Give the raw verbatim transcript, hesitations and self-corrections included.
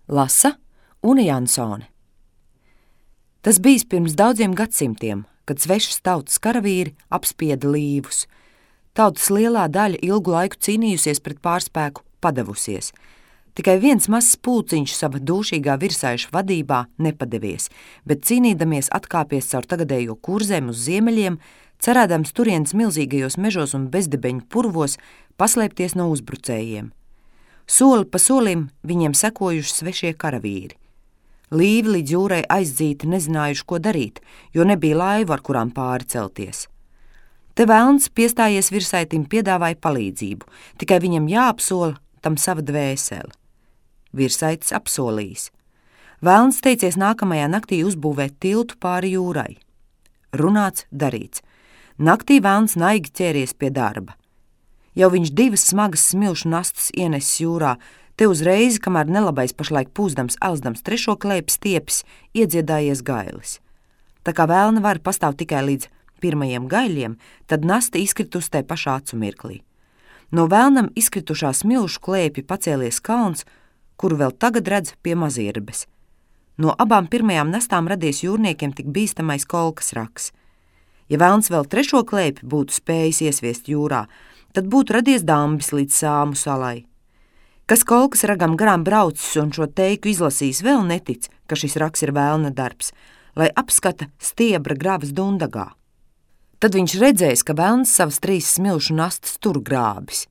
Lasa Une Jansone. Tas bijis pirms daudziem gadsimtiem, kad svešas tautas karavīri apspieda līvus. Tautas lielā daļa ilgu laiku cīnījusies pret pārspēku, padevusies. Tikai viens mazs pulciņš sava dūšīgā virsaiša vadībā nepadevies, bet cīnīdamies atkāpies caur tagadējo kurzēm uz ziemeļiem, cerēdams turienes milzīgajos mežos un bezdibeņu purvos paslēpties no uzbrucējiem. Soli pa solim viņiem sekojuši svešie karavīri. Līvi līdz jūrai aizdzīti nezinājuši, ko darīt, jo nebija laivu, ar kurām pāri celties. Te velns piestājies virsaitim piedāvāja palīdzību, tikai viņam jāapsola tam sava dvēsele. Virsaitis apsolījis. Velns teicies nākamajā naktī uzbūvēt tiltu pāri jūrai. Runāts, darīts. Naktī velns naigi ķēries pie darba. Jau viņš divas smagas smilšu nastas ienesis jūrā, te uzreiz, kamēr nelabais pašlaik pūzdams, elzdams trešo klēpi stiepis, iedziedājies gailis. Tā kā velna var pastāv tikai līdz pirmajiem gaiļiem, tad nasta izkritus tai pašā acu mirklī. No velnam izkritušā smilšu klēpja pacēlies kalns, kuru vēl tagad redz pie Mazirbes. No abām pirmajām nastām radies jūrniekiem tik bīstamais kolkas raks. Ja velns vēl trešo klēpi būtu spējis iesviest jūrā, tad būtu radies dambis līdz Sāmu salai. Kas kolkas ragam garām braucis un šo teiku izlasījis, vēl netic, ka šis raks ir velna darbs, lai apskata stiebra gravas Dundagā. Tad viņš redzējis, ka velns savas trīs smilšu nastas tur grābis.